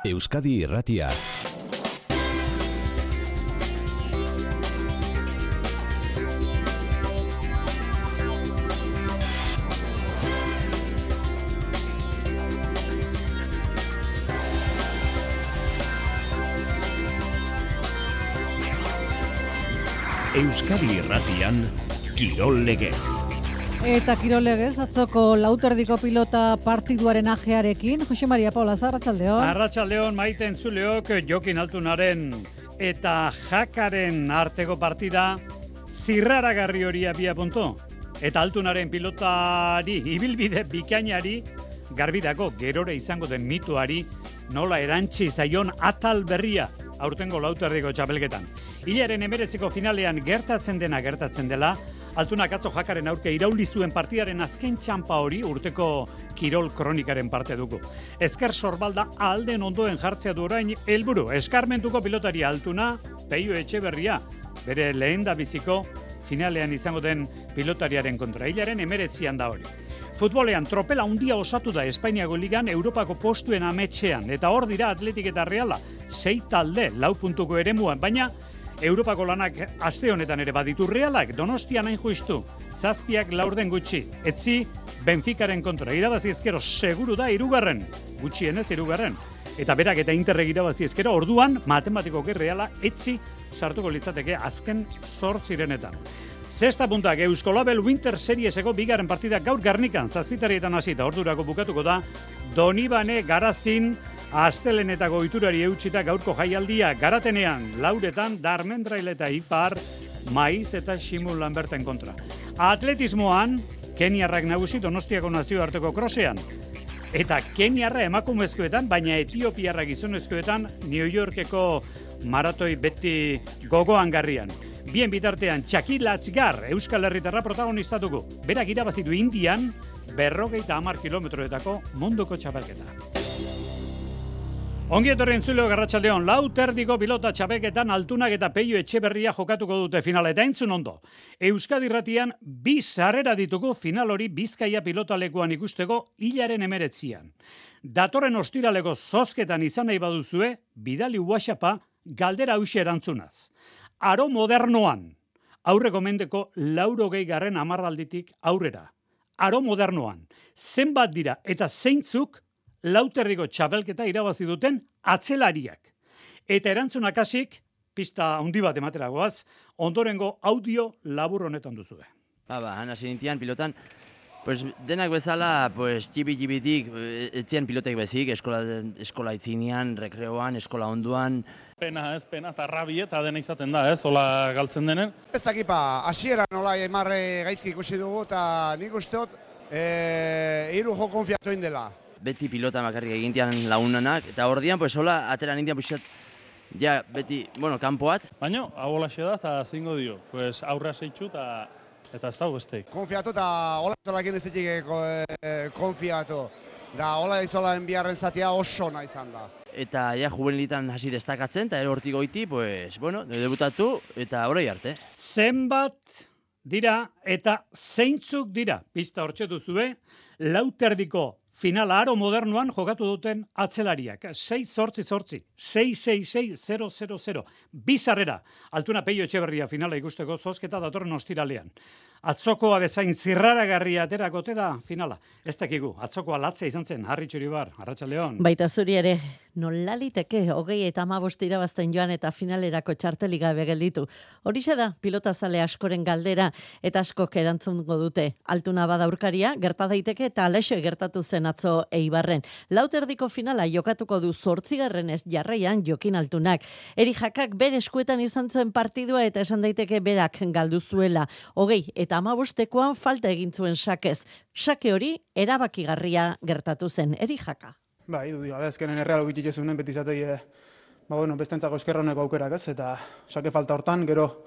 Euskadi Irratia. Euskadi Irratian, Kirol Legez. Eta Kirol Legez, atzoko lauterdiko pilota partiduaren ajearekin. Jose Maria Paula, arratsaldeon. Arratsaldeon, maite entzuleok, Jokin Altunaren eta Jakaren arteko partida zirraragarri hori abia punto. Eta Altunaren pilotari, ibilbide bikainari, garbidako gerore izango den mituari, nola erantzi zaion atal berria aurtengo lauterdiko txapelketan. Hilaren 19 finalean gertatzen dela, Altunak atzo Jakaren aurke irauli zuen partidaren azken txanpa hori urteko kirol kronikaren parte dugu. Ezker sorbalda alden ondoen jartzea du orain helburu. Eskarmentuko pilotari Altuna, Peio Etxeberria, bere lehendabiziko finalean izango den pilotariaren kontra. Hilaren 19an da hori. Futbolean tropela handia osatu da Espainiako ligan Europako postuen ametxean, eta hor dira Atletik eta Reala, 6 talde, 4 puntuko eremuan, baina Europako lanak aste honetan ere baditu Realak, Donostian hain justu, 7 laurden gutxi, etzi Benficaren kontra, irabazi ezkero seguru da 3, gutxienez 3, eta berak eta Interrek irabazi ezkero, orduan matematikoki Reala etzi sartuko litzateke azken 8 Zesta puntak Euskolabel Winter Serieseko bigarren partida gaur Garnikan, 7:00 hasita, ordurako bukatuko da, Donibane Garazin, Astelenetako ohiturari eutsita gaurko jaialdia Garatenean, Lauretan, Darmendrail eta Ifar, Maiz eta Ximul Lamberten kontra. Atletismoan, Keniarrak nagusi Donostiako nazioarteko krosean. Eta Keniarra emakumezkoetan, baina Etiopiarrak gizonezkoetan, New Yorkeko maratoi beti gogoan garrian. Bien bitartean, Txaki Latzgar, Euskal Herritarra protagonistatuko. Berak irabazitu Indian, 50 kilometroetako munduko txapelketa. Ongi etorri entzuleo arratsaldeon, lauterdiko pilota txapelketan Altunak eta Peio Etxeberria jokatuko dute finala, eta entzun ondo. Euskadi Irratian 2 sarrera ditugu final hori Bizkaia pilotalekuan ikusteko hilaren 19an. Datorren ostiraleko zozketan izan nahi baduzue, bidali WhatsAppa galdera hauxe erantzunaz. Aro modernoan, aurreko mendeko 80. hamarralditik aurrera. Aro modernoan, zenbat dira eta zeintzuk lauterdiko txapelketa irabazi duten atzelariak. Eta erantzunak hasik, pista handi bat emateragoaz, ondorengo audio labur honetan duzue. Hasi nintian pilotan, pues denak bezala, pues txibi-txibitik, etzien pilotek bezik, eskola itzinean, rekreoan, eskola onduan. Pena, eta rabi eta dena izaten da, hola galtzen denen. Ez dakipa, hasiera nola emarre gaizki ikusi dugu, eta nik usteot, 3 jo konfiatu indela. Beti pilota makarrik egintian lagunanak, eta ordian, pues hola, atera nintian puxat, ja, beti, kanpoat. Baina, hau holaxe da, eta zingo dio, pues aurra seitxu, eta ez dago bestek. Konfiatu, eta hola zolakin ez ditik konfiatu. Da, hola izola enbiarren zatia oso nahi izan da. Eta ja, juvenilitan hasi destakatzen, eta hortik goiti, pues, debutatu, eta orai arte. Zenbat dira eta zeintzuk dira, pista hortxe duzue, lauterdiko finala aro modernoan jokatu duten atzelariak. 6-8-8, 6-6-6-0-0-0. Bizarrera, Altuna Peio Etxeberria finala ikusteko zozketa datorren ostiralean. Atzokoa bezain zirraragarria aterakote da finala. Ez dakigu, atzokoa latzea izan zen, Harri Txuribar, arratsaldeon. Baita zuri ere, nolaliteke 20 eta 15 irabazten joan eta finalerako txartelik gabe gelditu. Horixe da, pilotazale askoren galdera eta askok erantzungo dute. Altuna bada aurkaria, gerta daiteke eta alaixo gertatu zen atzo Eibarren. Lauterdiko finala jokatuko du 8. jarraian Jokin Altunak. Eri Jakak bere eskuetan izan zuen partidua eta esan daiteke berak galdu zuela. 20 eta 15ekoan falta egin zuen sakez. Sake hori erabakigarria gertatu zen. Eri Jaka. Idu, azkenen erreal ogitik ezunen beti zatei, bestentzako eskerroneko aukerak ez, eta sake falta hortan, gero,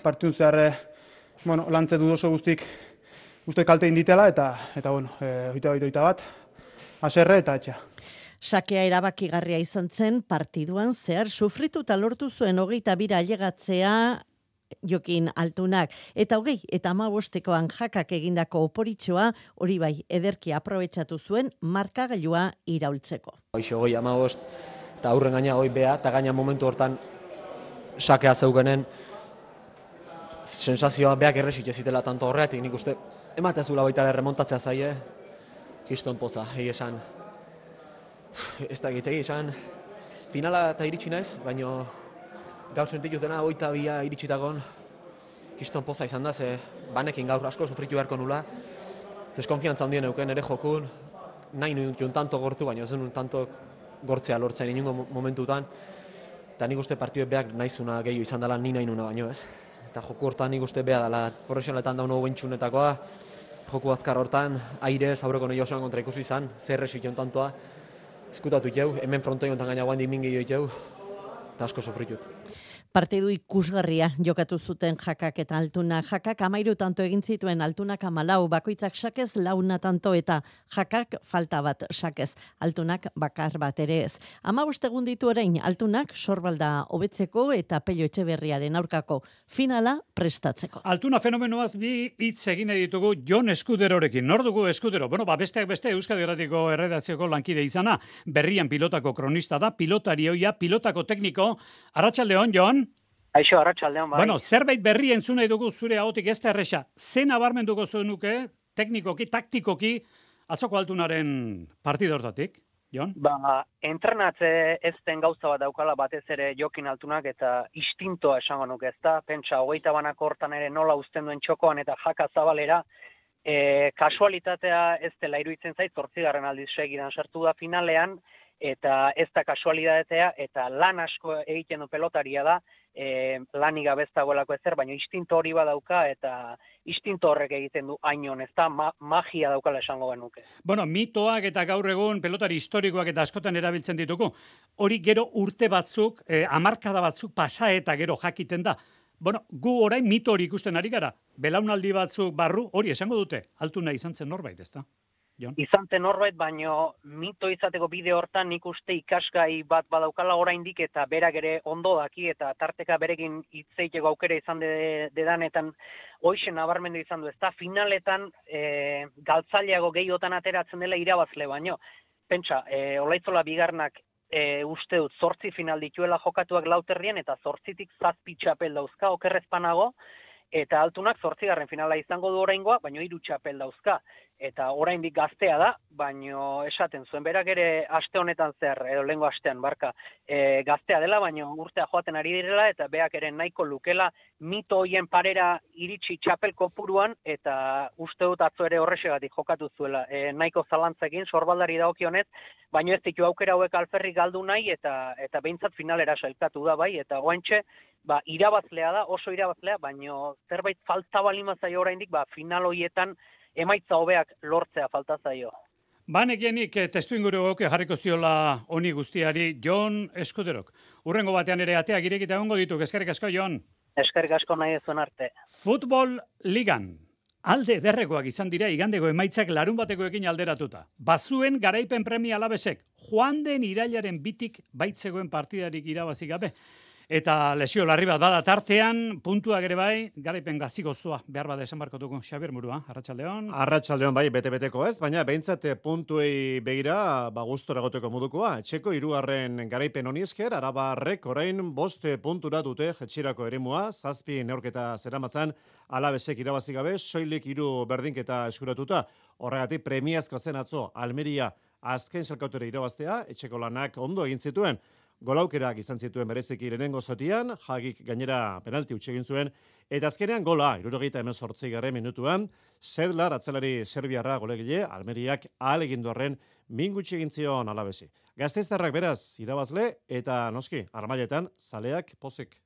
partidun zehar, lantze du oso guztik kalte inditela, eta oita bat, aserre eta etxa. Sakea erabakigarria izan zen partituan zehar sufritu eta lortu zuen 22 ailegatzea Jokin Altunak. Eta 35ekoan jakak egindako oporitxoa, hori bai, ederki aprobetxatu zuen markagailua iraultzeko. Hoxe 35 eta aurren gaina bea, eta gaina momentu hortan sakea zeukenen sensazioa beak erresik ezitela tanto horreatik, nik uste ematezula baita remontatzea zaie, kiston poza, esan. Ez da egitegi, esan finala eta iritsi naiz, baina gaur sentitutena 22 iritsitagon kiston poza izan da, ze banekin gaur asko sufritu beharko nula, deskonfiantza handien euken ere jokun, nahi nuen tanto gortu, baina ez nuen tanto gortzea lortzen inungo momentutan, eta nik uste partidue beak naizuna gehiago izan dela ni nahi nuna baino ez. Eta joku hortan nik uste beha dela profesionaletan dauno bentsunetakoa, joku azkar hortan, aire, zaureko nahi osoan kontra ikusi izan, zer esikion tantoa, eskutatu itxeu, hemen frontoi ontan gaina guan dimin gehiago itxeu, eta asko sofritut. Partidu ikusgarria jokatu zuten jakak eta Altunak. Jakak 13 tanto egin zituen, Altunak 14, bakoitzak sakez 4 tanto eta jakak falta bat sakez, Altunak bakar bat ere ez. 15 egun ditu orain Altunak sorbalda hobetzeko eta Pello Etxeberriaren aurkako finala prestatzeko. Altuna fenomenoaz bi hitz egin ditugu Jon Eskuderorekin. Nor dugu Eskudero? Bueno, besteak beste Euskadi Irratiko erredakzioko lankide izana, berrian pilotako kronista da, pilotari ohia, pilotako tekniko. Arratsaldeon, Jon. Aixo, arratsaldeon, bai. Bueno, zerbait berri entzun nahi dugu zure ahotik ez da erresa. Ze nabarmenduko zenuke, teknikoki, taktikoki, atzoko Altunaren partida hortatik, Jon? Entrenatze ez den gauza bat daukala batez ere Jokin Altunak eta instintoa esango nuke, ezta? Pentsa, 20 banako hortan ere nola uzten duen txokoan eta jaka zabalera, kasualitatea ez dela iruditzen zait, 8. aldiz segidan sartu da finalean, eta ez da kasualitatea, eta lan asko egiten du pelotaria da, lanik gabe ez dagoelako ezer, baina instinto hori badauka, eta instinto horrek egiten du ainon, ez da magia daukala esango genuke. Bueno, mitoak eta gaur egun pelotari historikoak eta askotan erabiltzen ditugu, hori gero urte batzuk, hamarkada batzuk pasa eta gero jakiten da. Bueno, gu orain mito hori ikusten ari gara, belaunaldi batzuk barru, hori esango dute, Altuna izan zen norbait, ez da? Izan zen norbait, baino mito izateko bide hortan nik uste ikasgai bat badaukala oraindik eta berak ere ondo daki eta tarteka berekin hitzeiteko aukera izan dedanetan hoixe nabarmendu izan du, ezta finaletan galtzaileago gehiotan ateratzen dela irabazle baino. Pentsa, Olaitzola bigarnak uste dut 8 final dituela jokatuak Lauterrien eta 8tik 7 txapel dauzka okerrezpanago, eta Altunak 8. finala izango du oraingoa, baino 3 txapel dauzka. Eta oraindik gaztea da, baino esaten zuen berak ere aste honetan zer, edo lehengo astean barka, gaztea dela, baino urtea joaten ari direla, eta beak ere nahiko lukela mito hoien parera iritsi txapel kopuruan, eta uste dut atzo ere horrexegatik jokatu zuela. Nahiko zalantzekin, sorbaldari dagokionez, baino ez ditu aukera hauek alferrik galdu nahi, eta behintzat finalera sailkatu da bai, eta goaintxe, irabazlea da, oso irabazlea, baino zerbait falta balima zaio oraindik, final hoietan emaitza hobeak lortzea falta zaio. Banekienik testu inguru goke jarriko ziola honi guztiari Jon Eskuderok. Urrengo batean ere ateak irekita egongo ditu, eskerrik asko, Jon. Eskerrik asko nahi ezuen arte. Futbol ligan. Alde derrekoak izan dira igandeko emaitzak larun batekoekin alderatuta. Bazuen garaipen premia Alabesek, joan den irailaren bitik baitzegoen partidarik irabazi gabe. Eta lesio larri bat bada tartean, puntuak ere bai, garaipen gazigozoa behar bada esan barko dugu. Xabier Murua, arratsaldeon. Arratsaldeon bai, bete-beteko ez, baina behintzat puntuei begira, gustora goteko modukoa. Etxeko 3. garaipen honi esker, Arabarrek orain 5 puntura dute jetxirako eremua, 7 neurketa zeramatzan, Alabesek irabazi gabe, soilik 3 berdinketa eskuratuta. Horregatik premiazko zen atzo, Almeria azken salkautere irabaztea, etxeko lanak ondo egin zituen. Golaukerak izan zituen bereziki lehenengo zatian, Jagik gainera penalti utzi egin zuen, eta azkenean gola, 78. minutuan, Sedlar atzelari serbiarra golegile, Almeriak ahalegindu horren min gutxi egin zion Alabesi. Gasteiztarrak beraz irabazle eta noski, armailetan zaleak pozik.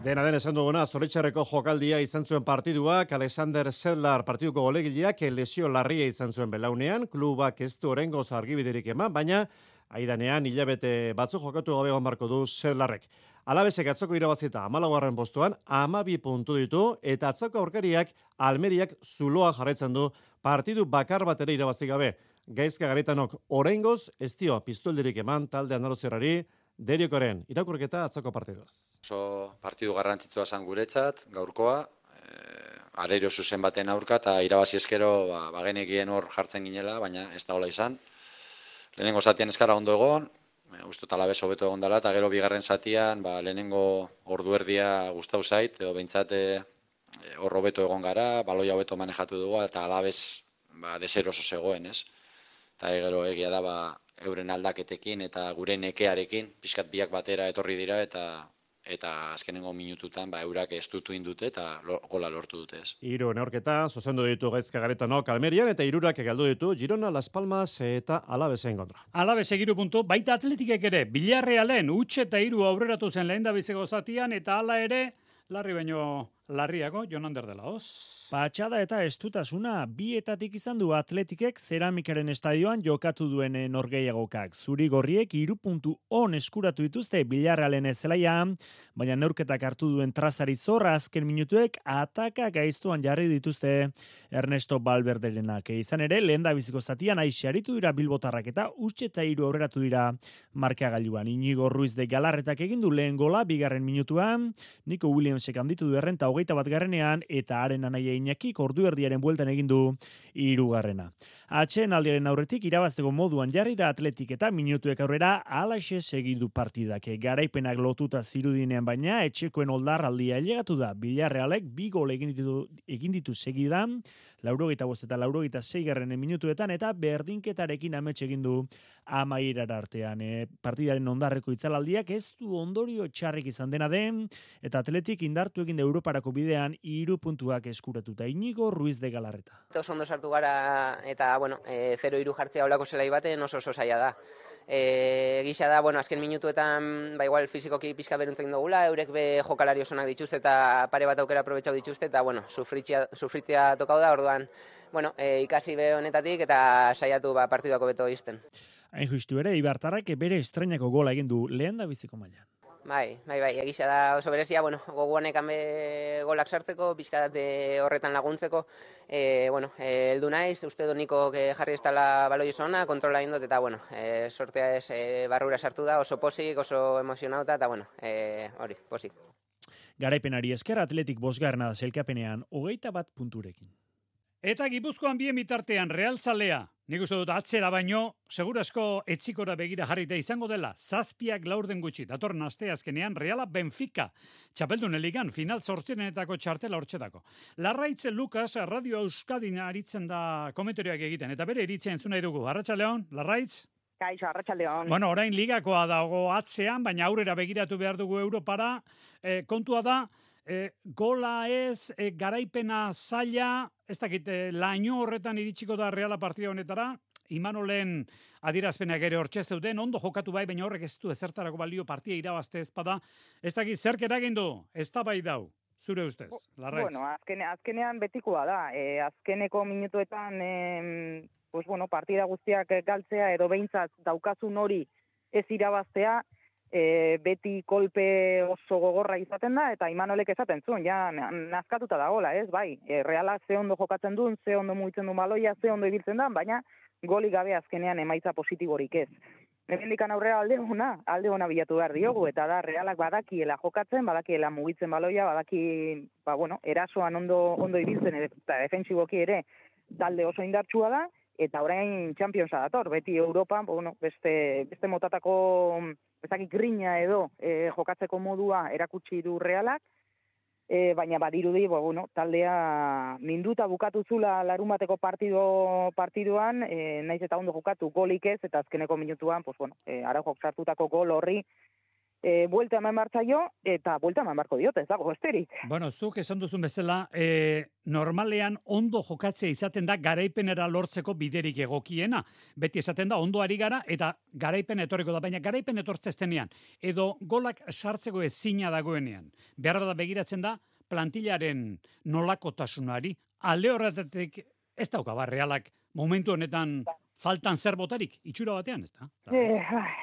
Dena den esan duguna, Zoritxarreko jokaldia izan zuen partiduak, Alexander Sedlar partiduko golegileak lesio larria izan zuen belaunean, klubak ez du oraingoz argibiderik eman, baina aidanean hilabete batzuk jokatu gabe egon barko du Sedlarrek. Alabesek atzoko irabazita 14. postuan 12 puntu ditu, eta atzoko aurkariak Almeriak zuloa jarraitzen du partidu bakar bat ere irabazi gabe. Gaizka Garaitanok oraingoz ez dio pistolderik eman talde andaluzerrari, Deriokoren irakurketa atzoko partiduaz. Oso partidu garrantzitsua zen guretzat, gaurkoa, arerio zuzen baten aurka, eta irabazi eskero genekien hor jartzen ginela, baina ez da hola izan. Lehenengo zatian eskara ondo egon, uste talabez hobeto egon dela, eta gero bigarren zatian lehenengo ordu erdia gustau zait, edo behintzat hor hobeto egon gara, baloia hobeto manejatu dugu, eta alabez deseroso zegoen, ez? Eta gero egia da euren aldaketekin eta gure nekearekin, pixkat biak batera etorri dira, eta azkenengo minututan eurak estutu indute eta gola lortu dute ez. Hiru neurketa, zuzendu ditu Gaizka Garaitanok Almerian, eta hirurak galdu ditu Girona, Las Palmas eta Alavesen kontra. Alaves 3 puntu, baita Atletikek ere, Villarrealen huts eta 3 aurreratu zen lehendabiziko zatian, eta hala ere, larri baino larriago, Jonander de la Hoz. Patxada eta estutasuna bietatik izan du Atletikek Zeramikaren estadioan jokatu duen norgehiagokak. Zuri-gorriek 3 puntu on eskuratu dituzte Villarrealen zelaian, baina neurketak hartu duen trazari zorra azken minutuek ataka gaiztuan jarri dituzte Ernesto Valverderenak. Izan ere, lehendabiziko zatian aixaritu dira bilbotarrak eta huts eta 3 aurreratu dira markagailuan. Inigo Ruiz de Galarretak egin du lehen gola bigarren minutuan, Nico Williamsek handitu du errenta 21ean eta haren anaia Iñakik ordu erdiaren bueltan egin du 3. Atsedenaldiaren aurretik irabazteko moduan jarri da Atletik eta minutuek aurrera halaxe segidu partidak. Garaipenak lotuta zirudinean baina etxekoen oldarraldia ailegatu da. Villarrealek 2 gol egin ditu segidan, 85 eta 86 minutuetan eta berdinketarekin amets egin du amaierara artean. Partidaren ondarreko itzalaldiak ez du ondorio txarrik izan dena den, eta Atletik indartu egin da Europarako bidean 3 puntuak eskuratuta. Inigo Ruiz de Galarreta. Oso ondo sartu gara eta 0-3 jartzea olako zelai baten oso zaila da. Gisa da, azken minutuetan igual fizikoki pixka beruntzen dugula, eurek jokalari osonak dituzte eta pare bat aukera aprobetxau dituzte eta sufritzea tokau da, orduan ikasi be honetatik eta saiatu partiduako beto izten. Hain justu ere, Ibartarrak bere estrenako gola egin du lehendabiziko mailan. Bai, egisa da oso berezia, gogoanek golak sartzeko, pixkat horretan laguntzeko, heldu naiz, uste do niko jarri ez dela baloi oso ona, kontrola indot, eta sortea ez barrura sartu da, oso posik, oso emozionauta, eta hori, posik. Garaipenari esker Atletik 5. da sailkapenean 21 punturekin. Eta Gipuzkoan bien bitartean Realzalea, nik uste dut atzera baino, segurasko etzikora begira jarrita izango dela, 7 laurden gutxi, datorren asteazkenean Reala Benfica, txapeldun ligan final 8 txartela hortxetako. Larraitz Lukas, Radio Euskadin aritzen da komentarioak egiten, eta bere iritzia entzun nahi dugu. Arratsaldeon, Larraitz? Kaixo, arratsaldeon. Orain ligakoa dago atzean, baina aurrera begiratu behar dugu Europara, kontua da, gola ez, garaipena zaila, ez dakit, laino horretan iritsiko da Reala partida honetara, Imanolen adierazpenak ere hortxe zeuden, ondo jokatu bai, baina horrek ez du ezertarako balio partia irabazte ezpada, ez dakit, zerk eragin du, ez da bai dau, zure ustez, Larraitz? Azkenean betikoa da, azkeneko minutuetan, partida guztiak galtzea, edo behintzat daukazun hori ez irabaztea, beti kolpe oso gogorra izaten da, eta Imanolek esaten zuen, nazkatuta dagoela, ez, bai, Reala ze ondo jokatzen duen, ze ondo mugitzen duen baloia, ze ondo ibiltzen da, baina goli gabe azkenean emaitza positiborik ez. Hemendikan aurrera alde ona bilatu behar diogu, eta da Realak badakiela jokatzen, badakiela mugitzen baloia, badaki, erasoan ondo ibiltzen, eta defensiboki ere talde oso indartsua da, eta orain Championsa dator, beti Europan, beste motatako grina edo jokatzeko modua erakutsi du Realak, baina badirudi, taldea minduta bukatu zula larunbateko partiduan, naiz eta ondo jokatu golik ez, eta azkeneko minutuan, Araujok sartutako gol horri, buelta eman bartzaio, eta buelta eman barko diote, ez dago besterik. Zuk esan duzun bezala, normalean ondo jokatzea izaten da garaipenera lortzeko biderik egokiena. Beti esaten da, ondo ari gara, eta garaipen etorriko da, baina garaipen etortzestenean, edo golak sartzeko ezina dagoenean. Behar da begiratzen da, plantillaren nolakotasunari, alde horretatik ez dauka Realak momentu honetan faltan zer botarik, itxura batean, ez da?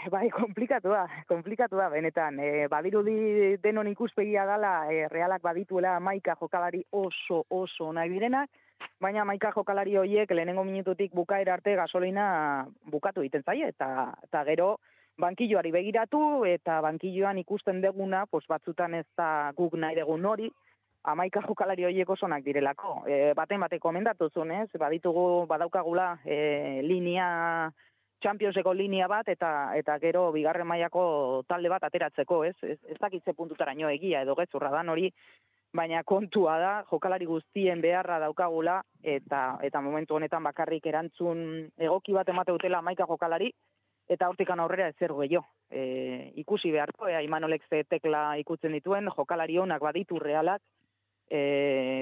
Bai, komplikatu da, benetan. Badirudi denon ikuspegia dela, Realak badituela 11 jokalari oso nahi direnak, baina 11 jokalari horiek lehenengo minututik bukaera arte gasolina bukatu egiten zaie, eta gero bankilloari begiratu, eta bankilloan ikusten deguna, batzutan ez da guk nahi degun hori, 11 jokalari horiek osonak direlako. Baten komendatu zuen, ez? Badaukagula linea, Championseko linea bat, eta gero bigarren mailako talde bat ateratzeko, ez? Ez dakitze puntutaraino egia edo gezurra dan hori, baina kontua da, jokalari guztien beharra daukagula, eta momentu honetan bakarrik erantzun egoki bat emate dutela 11 jokalari, eta hortikan aurrera ezer gehiago. Ikusi beharko, Imanolek ze tekla ikutzen dituen, jokalari honak baditu realak,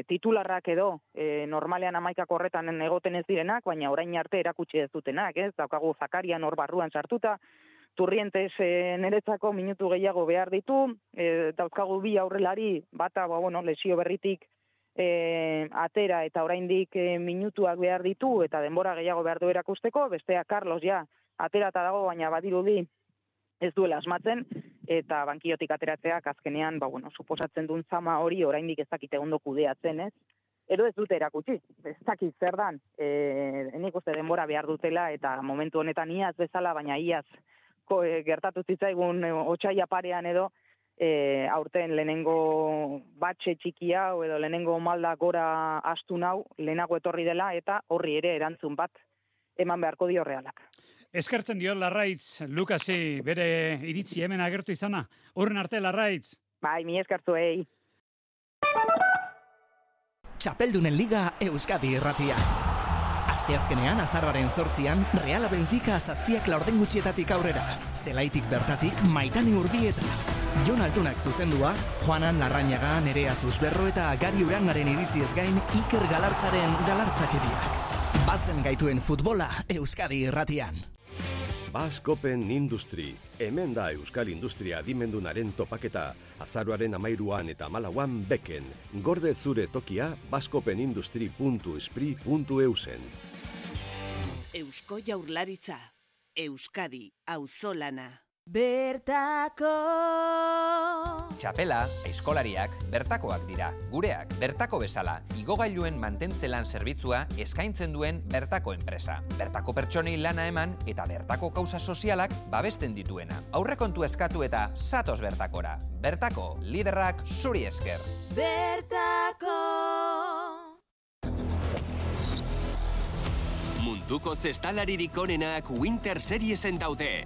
titularrak edo normalean 11 horretan egoten ez direnak, baina orain arte erakutsi ez dutenak, ez? Daukagu Zakarian hor barruan sartuta, Turrientes niretzako minutu gehiago behar ditu, dauzkagu bi aurrelari, bata lesio berritik atera eta oraindik minutuak behar ditu eta denbora gehiago behar du erakusteko, bestea Carlos ja aterata dago, baina badirudi ez duela asmatzen, eta bankiotik ateratzeak azkenean, suposatzen duen zama hori oraindik ez dakite ondo kudeatzen, ez? Edo ez dute erakutsi, ez dakit zer dan, nik uste denbora behar dutela, eta momentu honetan iaz bezala, baina iaz gertatu zitzaigun otsaila parean edo, aurten lehenengo batxe txiki hau, edo lehenengo malda gora astu nau, lehenago etorri dela, eta horri ere erantzun bat eman beharko dio realak. Eskertzen dio Larraitz, Lukasi, bere iritzi hemen agertu izana. Horren arte, Larraitz. Bai, mi eskertu, Txapeldunen Liga Euskadi Irratia. Asteazkenean, azaroaren 8an, Reala Benfica 7 laurden gutxietatik aurrera. Zelaitik bertatik, Maitane Urbieta. Jon Altunak zuzendua, Juanan Larrañaga, Nerea Susberro eta Gari Uranaren iritziez gain Iker Galartzaren galartzakeriak. Batzen gaituen futbola Euskadi Irratian. Basque Open Industry. Hemen da Euskal Industria adimendunaren topaketa. Azaroaren 13an eta 14an beken. Gorde zure tokia bascopenindustry.espri.eusen. Eusko Jaurlaritza. Euskadi auzolana. Bertako Txapela, aizkolariak, bertakoak dira. Gureak, bertako bezala, igogailuen mantentzelan zerbitzua eskaintzen duen bertako enpresa. Bertako pertsonei lana eman eta bertako kausa sozialak babesten dituena. Aurrekontu eskatu eta zatoz bertakora. Bertako, liderrak zuri esker. Bertako Munduko zestalaririk onenak Winter Seriesen daude.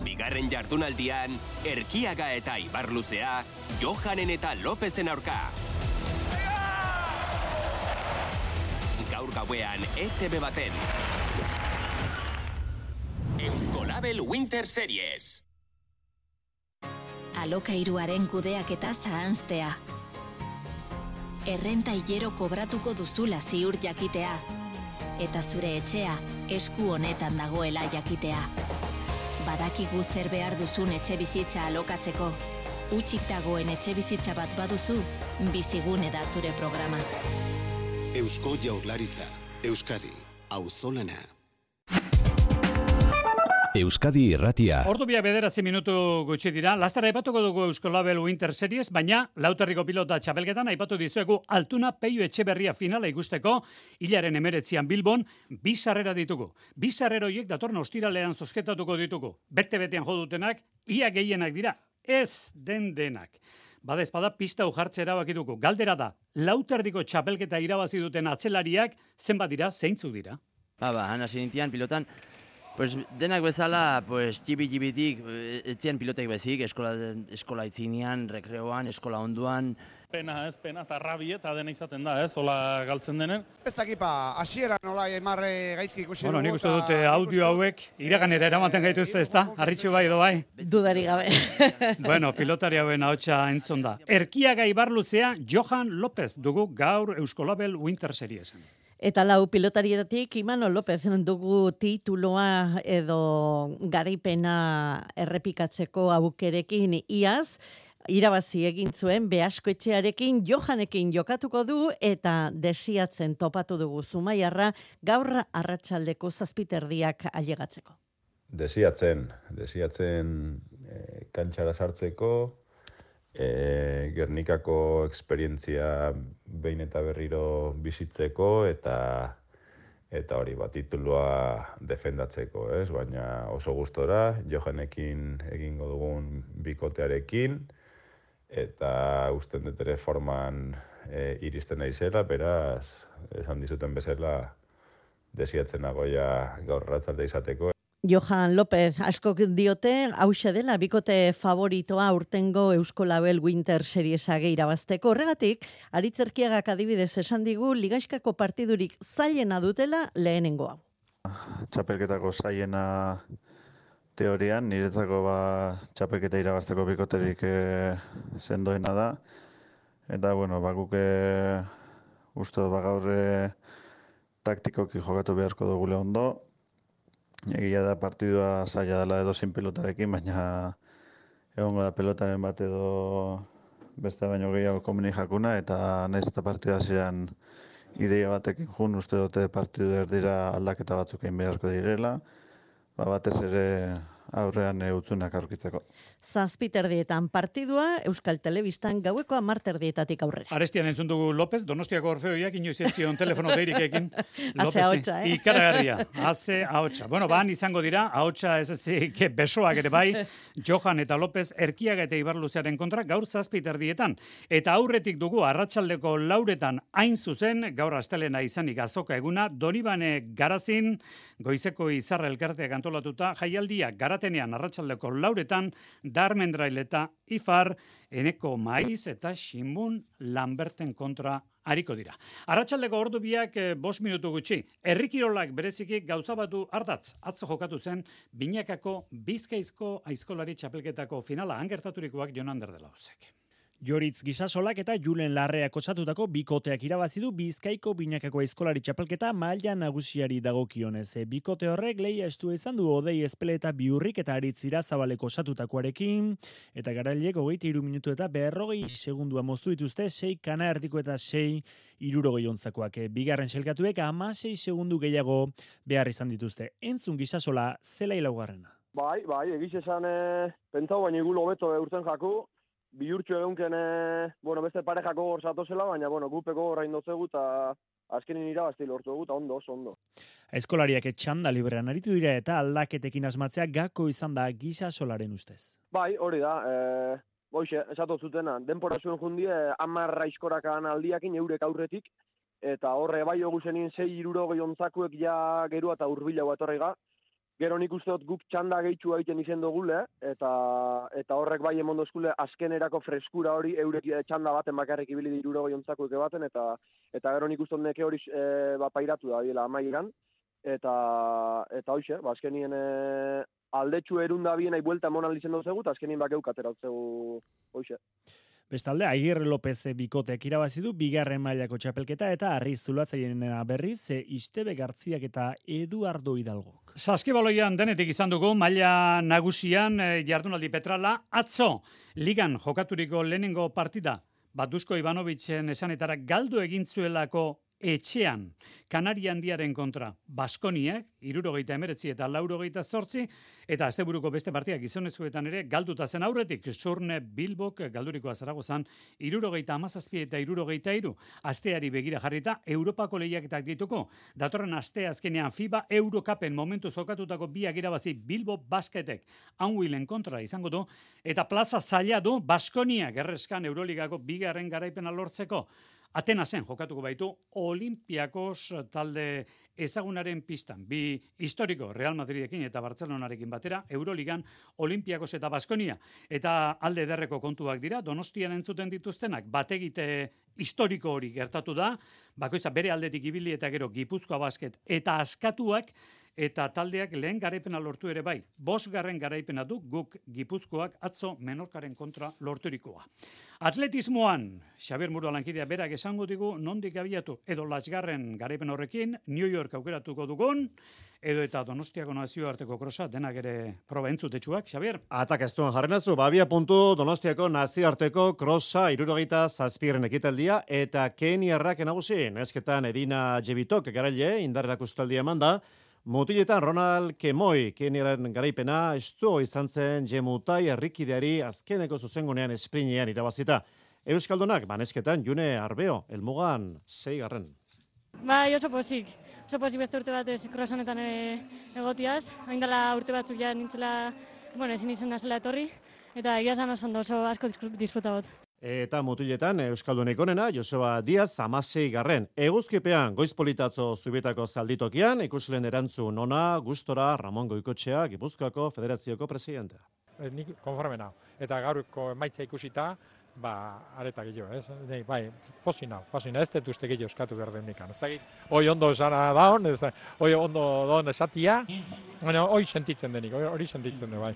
Bigarren jardunaldian, Erkiaga eta Ibarluzea, Johanen eta Lopezen aurka. Gaur gauean ETV baten. Euskolabel Winter Series. Alokairuaren kudeaketa zahanztea. Errenta hilero kobratuko duzula ziur jakitea. Eta zure etxea esku honetan dagoela jakitea. Badakigu zer behar duzun etxe bizitza alokatzeko. Hutsik dagoen etxe bizitza bat baduzu, Bizigune da zure programa. Eusko Jaurlaritza, Euskadi, auzolana. Euskadi Irratia. Ordu 9 minutu gutxi dira. Lastara aipatuko dugu Euskolabel Winter Series, baina lauterriko pilota txapelketan aipatu dizuegu Altuna Peio Etxeberria finala ikusteko hilaren 19an Bilbon 2 sarrera ditugu. 2 sarrera horiek datorren ostiralean zozketatuko ditugu. Bete-betean jo dutenak, ia gehienak dira. Ez denak. Badezpada pista ujartze erabaki dugu. Galdera da, lauterdiko txapelketa irabazi duten atzelariak zenbat dira, zeintzuk dira? Hana zintian pilotan, denak bezala, txibi-txibitik, etzien pilotek bezik, eskola itzinean, rekreoan, eskola onduan. Pena, eta rabi eta dena izaten da, hola galtzen denen. Ez dakipa, hasiera nola emarre gaizki ikusi dugu. Nik uste dute audio hauek iraganera eramaten gaituzte, ez da? Arritxu bai edo bai? Dudari gabe. Pilotari hauen ahotsa entzun da. Erkiaga Ibarluzea, Johan López dugu gaur Euskolabel Winter Seriesen. Eta lau pilotarietatik Imanol López dugu tituloa edo garaipena errepikatzeko aukerekin iaz, irabazi egin zuen Beaskoetxearekin Johanekin jokatuko du eta desiatzen topatu dugu Zumaiarra gaur arratsaldeko 7:00 ailegatzeko. Desiatzen kantxara sartzeko Gernikako esperientzia behin eta berriro bizitzeko eta hori titulua defendatzeko, ez? Baina oso gustora, Johanekin egingo dugun bikotearekin, eta usten dut ere forman iristen naizela, beraz, esan dizuten bezala, desiatzen nagoia gaur arratsalde izateko. Johan López, askok diote, hauxe dela bikote favoritoa urtengo Euskolabel Winter Seriesa irabazteko. Horregatik, Aritzerkiagak adibidez esan digu, ligaiskako partidurik zailena dutela lehenengoa. Txapelketako zailena teorian, niretzako txapelketa irabazteko bikoterik sendoena da. Eta, guk uste gaur taktikoki jokatu beharko dugule ondo. Egia da partidua zaila dela edo sin pelotarekin, baina egongo da pelotaren bat edo beste baino gehiago komeni jakuna, eta nahiz eta partidua ziren ideia batekin jun, uste dute partidu erdira aldaketa batzuk egin beharko direla, batez ere aurrean utzunak aurkitzeko. 7:00 partidua Euskal Telebistan gaueko 10:00 aurrera. Arestian entzun dugu López, Donostiako Orfeoiak inoiz etzion telefono deirikekin. Haze ahotsa, Ikaragarria, haze ahotsa. Ban izango dira, ahotsa ez ezik besoak ere bai, Johan eta López Erkiaga eta Ibarluzearen kontra gaur 7:00. Eta aurretik dugu arratsaldeko 4:00 hain zuzen, gaur astelena izanik azoka eguna, Donibane Garazin, goizeko izarra elkarteak antolatuta, jaialdia Garatenean arratsaldeko 4:00, Darmendrail eta Ifar, Eneko Maiz eta Ximun Lamberten kontra ariko dira. Arratsaldeko ordu biak 5 minutu gutxi. Herrikirolak bereziki gauza batu ardatz. Atzo jokatu zen Binakako Bizkaizko aizkolari txapelketako finala angertaturikoak Jon Ander de la Osek. Joritz Gisasolak eta Julen Larreak osatutako bikoteak irabazi du Bizkaiko Binakako aizkolari txapelketa maila nagusiari dagokionez. Bikote horrek lehia estu izan du Odei Espele eta Biurrik eta Aritzira Zabaleko osatutakoarekin, eta garailek 23 minutu eta 40 segundua moztu dituzte 6 kana erdiko eta 6 60 Bigarren selkatuek 16 segundu gehiago behar izan dituzte. Entzun Gisasola zela ilaugarrena. Bai, egiz esan pentsau baina igulo beto urten jaku. Bihurtxo egunken, beste parejako hor zatozela, baina, gupeko horrein dozegu eta azkenin irabazti lortu dugu, eta ondo. Aizkolariak txanda librean aritu dira eta aldaketekin asmatzea gako izan da Gisasolaren ustez. Bai, hori da, esatu zutena, denpora zuen jundie, 10 aizkorakan aldiakin eurek aurretik, eta horre bai hogu zenien 6-60 ontzakuek ja gerua eta urbilago etorrega. Gero nik uste dut guk txanda gehitxu egiten izen dugule, eta horrek bai emon dozkule azkenerako freskura hori eurek txanda baten bakarrik ibili di 60 ontzakuek baten, eta gero nik uste dut neke hori pairatu da biela amaieran, eta hoxe, azkenien aldetxu erunda bien nahi buelta emon aldizen dozegu, eta azkenien bakeuk ateratzegu hoxe. Bestalde, Agirre López bikoteak irabazi du bigarren mailako txapelketa eta Arriz Zulatzaileena berriz Istebe Gartziak eta Eduardo Hidalgok. Saskibaloian denetik izan dugu maila nagusian jardunaldi Petrala atzo ligan jokaturiko lehenengo partida Batuzko Ivanovitzen esanetara galdu egin zuelako etxean Kanaria Handiaren kontra Baskoniak 79 eta 88, eta asteburuko beste partidak gizonezkoetan ere galduta zen aurretik Surne Bilbok galdurikoa Zaragozan 77 eta 73. Asteari begira jarrita Europako lehiaketak dituko. Datorren aste azkenean FIBA Eurocupen momentu jokatutako biak irabazi Bilbo Basketek Anwilen kontra izango du, eta plaza zaila du Baskoniak erreskan Euroligako bigarren garaipena lortzeko. Atenasen jokatuko baitu Olimpiakos talde ezagunaren pistan. Bi historiko Real Madridekin eta Bartzelonarekin batera Euroligan Olimpiakos eta Baskonia. Eta alde ederreko kontuak dira, Donostian entzuten dituztenak, bategite historiko hori gertatu da, bakoitza bere aldetik ibili eta gero Gipuzkoa Basket eta askatuak, eta taldeak lehen garaipena lortu ere bai. 5. garaipena du guk Gipuzkoak atzo Menorkaren kontra lorturikoa. Atletismoan, Xabier Muro lankidea berak esango digu nondik abiatu, edo 8. garaipen horrekin New York aukeratuko dugun, edo eta Donostiako nazioarteko krosa denak ere proba entzutetsuak, Xabier? Atak ez duen jarrenazu, babia puntu Donostiako nazioarteko krosa 77. ekitaldia, eta Keniarrak nagusi, nesketan Edina Jebitok garaile indarrak ustaldia emanda, Mutiletan Ronald Kemoi, Keniaren garaipena, estu izan zen Jemutai herrikideari azkeneko zuzengunean esprinean irabazita. Euskaldunak, banesketan, June Arbeo, helmugan 6. Bai, oso posik beste urte batez croissonetan egotiaz. Hain dela urte batzuk ja nintzela, ezin izan da zela etorri, eta egia esan oso asko disfruta got. Eta mutiletan Euskaldunik onena, Joseba Diaz 16. Eguzkipean, Goizpolitatzo Zubietako zalditokian, ikusleen erantzun ona, gustora Ramon Goikotxea, Gipuzkoako Federazioko presidentea. Nik konforme nau. Eta gaurko emaitza ikusita, areta gehiago, ez? Bai, posina, ez dut uste gehiago eskatu behar den nikan. Ez da, hoi ondo esana daun, hoi ondo daun esatia, hoi sentitzen denik, hori sentitzen du, bai.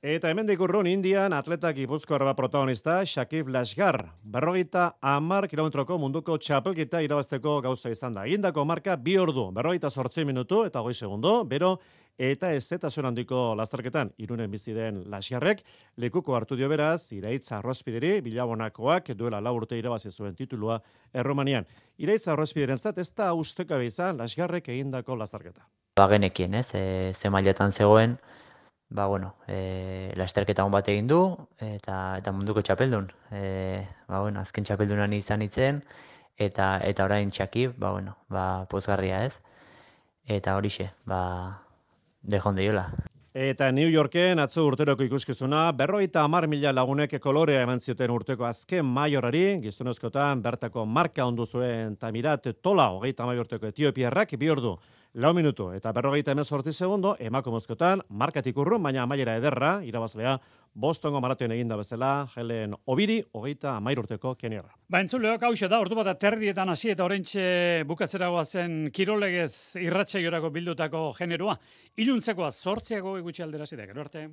Eta hemendik urrun Indian atleta Gipuzkoarra protagonista Shakib Lashgar. 50 kilometroko munduko txapelketa irabazteko gauza izan da. Egindako marka 2 ordu, 48 minutu eta 20 segundo, bero eta ezetasun handiko lasterketan Irunen bizi den Lashgarrek lekuko hartu dio beraz Iraitz Arrospideri bilabonakoak duela 4 urte irabazi zuen titulua Erromanian. Iraitz Arrospiderentzat ez da ustekabe izan Lashgarrek egindako lasterketa. Genekien, ze mailetan zegoen. Lasterketa hon bat egin du, eta munduko txapeldun. Azken txapeldunan izan itzen, eta orain Shakib, pozgarria ez. Eta horixe, dejon deiola. Eta New Yorken atzo urteroko ikuskizuna, 50.000 lagunek kolorea eman zioten urteko azken maiorari, gizonezkotan bertako marka ondu zuen Tamirat Tola, 30 urteko Etiopiarrak, 2 ordu. 4 minutu eta 48 segundo, emakumezkotan markatik urrun, baina amaiera ederra, irabazlea, Bostongo maratoen eginda bezala, Helen Obiri, 30 urteko Keniarra. Entzuleok, hauxe da, ordu bat aterdietan hasi eta oraintxe bukatzeragoa zen kirolegez irratsaioarako bildutako generoa. Iluntzekoa 8 gutxi aldera zidek, gero arte.